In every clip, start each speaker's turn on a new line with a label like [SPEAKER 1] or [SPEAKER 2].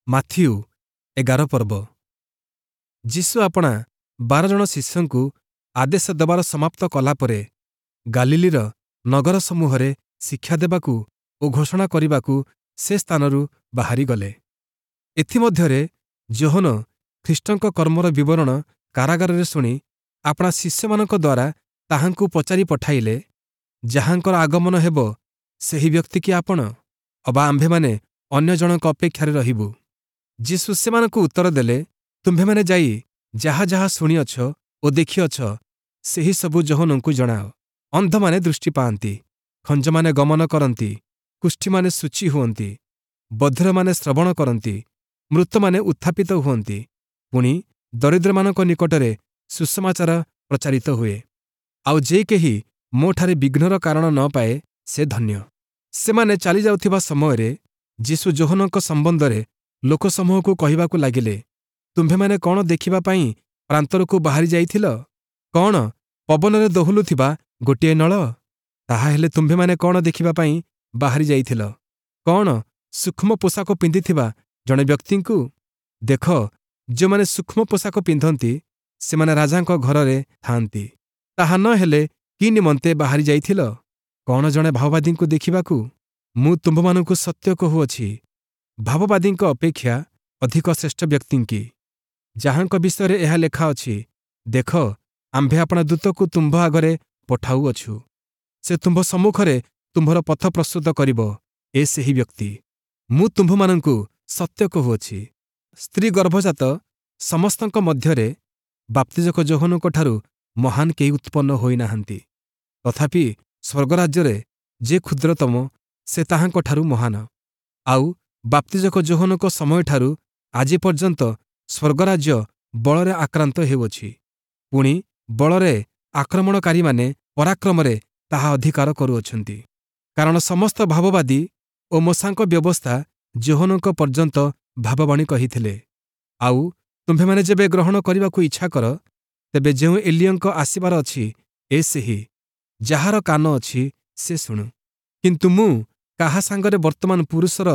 [SPEAKER 1] Matthew 11 ପର୍ବ। ଯୀଶୁ ଆପଣା 12 ଜଣ ଶିଷ୍ୟଙ୍କୁ ଆଦେଶ ଦେବାର ସମାପ୍ତ କଲା ପରେ ଗାଲିଲୀର ନଗର ସମୂହରେ ଶିକ୍ଷା ଦେବାକୁ ଓ ଘୋଷଣା କରିବାକୁ ସେ ସ୍ଥାନରୁ ବାହାରିଗଲେ। ଏଥିମଧ୍ୟରେ ଯୋହନ ଖ୍ରୀଷ୍ଟଙ୍କ କର୍ମର ବିବରଣ କାରାଗାରରେ ଶୁଣି ଆପଣା ଶିଷ୍ୟମାନଙ୍କ ଦ୍ୱାରା ତାହାଙ୍କୁ ପଚାରି ପଠାଇଲେ, ଯାହାଙ୍କର ଆଗମନ ହେବ ସେହି ବ୍ୟକ୍ତି କି ଆପଣ, ଅବା ଆମ୍ଭେମାନେ ଅନ୍ୟ ଜଣଙ୍କ ଅପେକ୍ଷାରେ ରହିବୁ? ଯୀଶୁ ସେମାନଙ୍କୁ ଉତ୍ତର ଦେଲେ, ତୁମ୍ଭେମାନେ ଯାଇ ଯାହା ଯାହା ଶୁଣିଅଛ ଓ ଦେଖିଅଛ, ସେହି ସବୁ ଯୋହନଙ୍କୁ ଜଣାଅ। ଅନ୍ଧମାନେ ଦୃଷ୍ଟି ପାଆନ୍ତି, ଖଞ୍ଜମାନେ ଗମନ କରନ୍ତି, କୁଷ୍ଠୀମାନେ ଶୁଚି ହୁଅନ୍ତି, ବଧିରମାନେ ଶ୍ରବଣ କରନ୍ତି, ମୃତମାନେ ଉତ୍ଥାପିତ ହୁଅନ୍ତି, ପୁଣି ଦରିଦ୍ରମାନଙ୍କ ନିକଟରେ ସୁସମାଚାର ପ୍ରଚାରିତ ହୁଏ। ଆଉ ଯେ କେହି ମୋଠାରେ ବିଘ୍ନର କାରଣ ନ ପାଏ, ସେ ଧନ୍ୟ। ସେମାନେ ଚାଲିଯାଉଥିବା ସମୟରେ ଯୀଶୁ ଯୋହନଙ୍କ ସମ୍ବନ୍ଧରେ ଲୋକସମୂହକୁ କହିବାକୁ ଲାଗିଲେ, ତୁମ୍ଭେମାନେ କ'ଣ ଦେଖିବା ପାଇଁ ପ୍ରାନ୍ତରକୁ ବାହାରି ଯାଇଥିଲ? କ'ଣ ପବନରେ ଦୋହଲୁଥିବା ଗୋଟିଏ ନଳ? ତାହାହେଲେ ତୁମ୍ଭେମାନେ କ'ଣ ଦେଖିବା ପାଇଁ ବାହାରି ଯାଇଥିଲ? କ'ଣ ସୂକ୍ଷ୍ମ ପୋଷାକ ପିନ୍ଧିଥିବା ଜଣେ ବ୍ୟକ୍ତିଙ୍କୁ? ଦେଖ, ଯେଉଁମାନେ ସୂକ୍ଷ୍ମ ପୋଷାକ ପିନ୍ଧନ୍ତି, ସେମାନେ ରାଜାଙ୍କ ଘରରେ ଥାଆନ୍ତି। ତାହା ନ ହେଲେ କି ନିମନ୍ତେ ବାହାରି ଯାଇଥିଲ? କ'ଣ ଜଣେ ଭାବବାଦୀଙ୍କୁ ଦେଖିବାକୁ? ମୁଁ ତୁମ୍ଭମାନଙ୍କୁ ସତ୍ୟ କହୁଅଛି, ଭାବବାଦୀଙ୍କ ଅପେକ୍ଷା ଅଧିକ ଶ୍ରେଷ୍ଠ ବ୍ୟକ୍ତିଙ୍କି। ଯାହାଙ୍କ ବିଷୟରେ ଏହା ଲେଖା ଅଛି, ଦେଖ, ଆମ୍ଭେ ଆପଣା ଦୂତକୁ ତୁମ୍ଭ ଆଗରେ ପଠାଉଅଛୁ, ସେ ତୁମ୍ଭ ସମ୍ମୁଖରେ ତୁମ୍ଭର ପଥ ପ୍ରସ୍ତୁତ କରିବ, ଏ ସେହି ବ୍ୟକ୍ତି। ମୁଁ ତୁମ୍ଭମାନଙ୍କୁ ସତ୍ୟ କହୁଅଛି, ସ୍ତ୍ରୀ ଗର୍ଭଜାତ ସମସ୍ତଙ୍କ ମଧ୍ୟରେ ବାପ୍ତିଜକ ଯୋହନଙ୍କଠାରୁ ମହାନ କେହି ଉତ୍ପନ୍ନ ହୋଇନାହାନ୍ତି। ତଥାପି ସ୍ୱର୍ଗରାଜ୍ୟରେ ଯେ କ୍ଷୁଦ୍ରତମ, ସେ ତାହାଙ୍କଠାରୁ ମହାନ। ଆଉ ବାପ୍ତିଜକ ଯୋହନଙ୍କ ସମୟଠାରୁ ଆଜି ପର୍ଯ୍ୟନ୍ତ ସ୍ୱର୍ଗରାଜ୍ୟ ବଳରେ ଆକ୍ରାନ୍ତ ହେଉଅଛି, ପୁଣି ବଳରେ ଆକ୍ରମଣକାରୀମାନେ ପରାକ୍ରମରେ ତାହା ଅଧିକାର କରୁଅଛନ୍ତି। କାରଣ ସମସ୍ତ ଭାବବାଦୀ ଓ ମୋଶାଙ୍କ ବ୍ୟବସ୍ଥା ଯୋହନଙ୍କ ପର୍ଯ୍ୟନ୍ତ ଭାବବାଣୀ କହିଥିଲେ। ଆଉ ତୁମ୍ଭେମାନେ ଯେବେ ଗ୍ରହଣ କରିବାକୁ ଇଚ୍ଛା କର, ତେବେ ଯେଉଁ ଏଲିୟଙ୍କ ଆସିବାର ଅଛି, ଏ ସେହି। ଯାହାର କାନ ଅଛି, ସେ ଶୁଣୁ। କିନ୍ତୁ ମୁଁ କାହା ସାଙ୍ଗରେ ବର୍ତ୍ତମାନ ପୁରୁଷର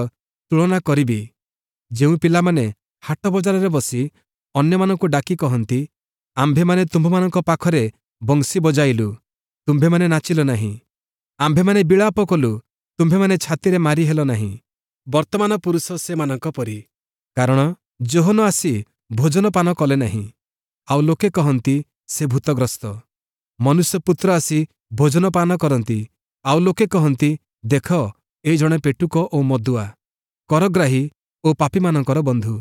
[SPEAKER 1] ତୁଳନା କରିବି? ଯେଉଁ ପିଲାମାନେ ହାଟ ବଜାରରେ ବସି ଅନ୍ୟମାନଙ୍କୁ ଡାକି କହନ୍ତି, ଆମ୍ଭେମାନେ ତୁମ୍ଭମାନଙ୍କ ପାଖରେ ବଂଶୀ ବଜାଇଲୁ, ତୁମ୍ଭେମାନେ ନାଚିଲ ନାହିଁ; ଆମ୍ଭେମାନେ ବିଳାପ କଲୁ, ତୁମ୍ଭେମାନେ ଛାତିରେ ମାରି ହେଲ ନାହିଁ। ବର୍ତ୍ତମାନ ପୁରୁଷ ସେମାନଙ୍କ ପରି। କାରଣ ଯୋହନ ଆସି ଭୋଜନ ପାନ କଲେ ନାହିଁ, ଆଉ ଲୋକେ କହନ୍ତି, ସେ ଭୂତଗ୍ରସ୍ତ। ମନୁଷ୍ୟପୁତ୍ର ଆସି ଭୋଜନ ପାନ କରନ୍ତି, ଆଉ ଲୋକେ କହନ୍ତି, ଦେଖ, ଏ ଜଣେ ପେଟୁକ ଓ ମଦୁଆ, କରଗ୍ରାହୀ ଓ ପାପୀମାନଙ୍କର ବନ୍ଧୁ।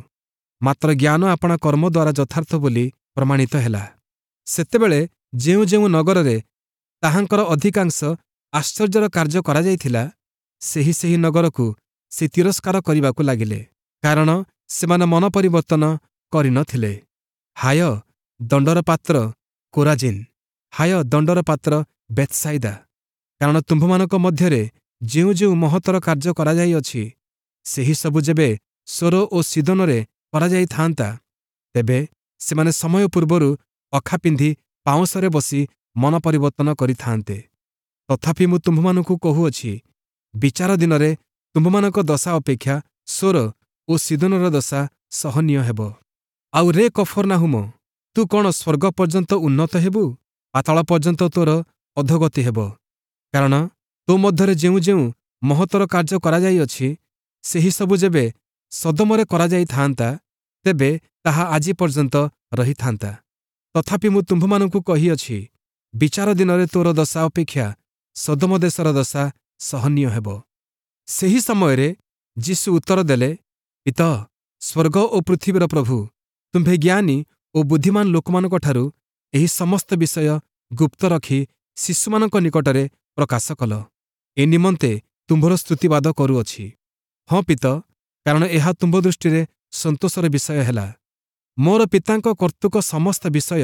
[SPEAKER 1] ମାତ୍ର ଜ୍ଞାନ ଆପଣା କର୍ମ ଦ୍ୱାରା ଯଥାର୍ଥ ବୋଲି ପ୍ରମାଣିତ ହେଲା। ସେତେବେଳେ ଯେଉଁ ଯେଉଁ ନଗରରେ ତାହାଙ୍କର ଅଧିକାଂଶ ଆଶ୍ଚର୍ଯ୍ୟର କାର୍ଯ୍ୟ କରାଯାଇଥିଲା, ସେହି ସେହି ନଗରକୁ ସେ ତିରସ୍କାର କରିବାକୁ ଲାଗିଲେ, କାରଣ ସେମାନେ ମନ ପରିବର୍ତ୍ତନ କରିନଥିଲେ। ହାୟ ଦଣ୍ଡର ପାତ୍ର କୋରାଜିନ୍! ହାୟ ଦଣ୍ଡର ପାତ୍ର ବେଥ୍ସାଇଦା! କାରଣ ତୁମ୍ଭମାନଙ୍କ ମଧ୍ୟରେ ଯେଉଁ ଯେଉଁ ମହତ୍ତର କାର୍ଯ୍ୟ କରାଯାଇଅଛି, ସେହି ସବୁ ଯେବେ ସୋର ଓ ସୀଦୋନରେ କରାଯାଇଥାନ୍ତା, ତେବେ ସେମାନେ ସମୟ ପୂର୍ବରୁ ଅଖା ପିନ୍ଧି ପାଉଁଶରେ ବସି ମନ ପରିବର୍ତ୍ତନ କରିଥାନ୍ତେ। ତଥାପି ମୁଁ ତୁମ୍ଭମାନଙ୍କୁ କହୁଅଛି, ବିଚାର ଦିନରେ ତୁମ୍ଭମାନଙ୍କ ଦଶା ଅପେକ୍ଷା ସୋର ଓ ସୀଦୋନର ଦଶା ସହନୀୟ ହେବ। ଆଉ ରେ କଫର୍ନାହୁମ, ତୁ କ'ଣ ସ୍ୱର୍ଗ ପର୍ଯ୍ୟନ୍ତ ଉନ୍ନତ ହେବୁ? ପାତାଳ ପର୍ଯ୍ୟନ୍ତ ତୋର ଅଧୋଗତି ହେବ। କାରଣ ତୋ ମଧ୍ୟରେ ଯେଉଁ ଯେଉଁ ମହତ୍ତର କାର୍ଯ୍ୟ କରାଯାଇଅଛି, ସେହି ସବୁ ଯେବେ ସଦୋମରେ କରାଯାଇଥାନ୍ତା, ତେବେ ତାହା ଆଜି ପର୍ଯ୍ୟନ୍ତ ରହିଥାନ୍ତା। ତଥାପି ମୁଁ ତୁମ୍ଭମାନଙ୍କୁ କହିଅଛି, ବିଚାର ଦିନରେ ତୋର ଦଶା ଅପେକ୍ଷା ସଦୋମ ଦେଶର ଦଶା ସହନୀୟ ହେବ। ସେହି ସମୟରେ ଯୀଶୁ ଉତ୍ତର ଦେଲେ, ପିତଃ, ସ୍ୱର୍ଗ ଓ ପୃଥିବୀର ପ୍ରଭୁ, ତୁମ୍ଭେ ଜ୍ଞାନୀ ଓ ବୁଦ୍ଧିମାନ ଲୋକମାନଙ୍କଠାରୁ ଏହି ସମସ୍ତ ବିଷୟ ଗୁପ୍ତ ରଖି ଶିଶୁମାନଙ୍କ ନିକଟରେ ପ୍ରକାଶ କଲ। ଏ ନିମନ୍ତେ ତୁମ୍ଭର ସ୍ତୁତିବାଦ କରୁଅଛି। ହଁ ପିତଃ, କାରଣ ଏହା ତୁମ୍ଭ ଦୃଷ୍ଟିରେ ସନ୍ତୋଷର ବିଷୟ ହେଲା। ମୋର ପିତାଙ୍କ କର୍ତ୍ତୃକ ସମସ୍ତ ବିଷୟ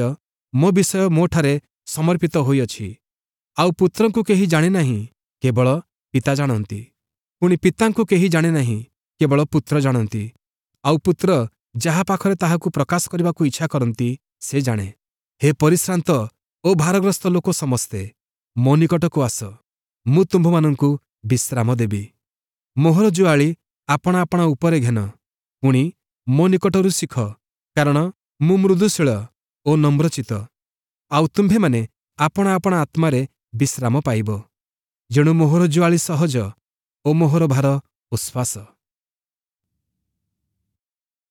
[SPEAKER 1] ମୋ ବିଷୟ ମୋଠାରେ ସମର୍ପିତ ହୋଇଅଛି। ଆଉ ପୁତ୍ରଙ୍କୁ କେହି ଜାଣେ ନାହିଁ, କେବଳ ପିତା ଜାଣନ୍ତି। ପୁଣି ପିତାଙ୍କୁ କେହି ଜାଣେ ନାହିଁ, କେବଳ ପୁତ୍ର ଜାଣନ୍ତି, ଆଉ ପୁତ୍ର ଯାହା ପାଖରେ ତାହାକୁ ପ୍ରକାଶ କରିବାକୁ ଇଚ୍ଛା କରନ୍ତି, ସେ ଜାଣେ। ହେ ପରିଶ୍ରାନ୍ତ ଓ ଭାରଗ୍ରସ୍ତ ଲୋକ ସମସ୍ତେ, ମୋ ନିକଟକୁ ଆସ, ମୁଁ ତୁମ୍ଭମାନଙ୍କୁ ବିଶ୍ରାମ ଦେବି। ମୋହର ଜୁଆଳି ଆପଣା ଆପଣା ଉପରେ ଘେନ, ପୁଣି ମୋ ନିକଟରୁ ଶିଖ, କାରଣ ମୁଁ ମୃଦୁଶୀଳ ଓ ନମ୍ରଚିତ୍ତ, ଆଉ ତୁମ୍ଭେମାନେ ଆପଣା ଆପଣା ଆତ୍ମାରେ ବିଶ୍ରାମ ପାଇବ। ଯେଣୁ ମୋହର ଜୁଆଳି ସହଜ ଓ ମୋହର ଭାର ଉଶ୍ୱାସ।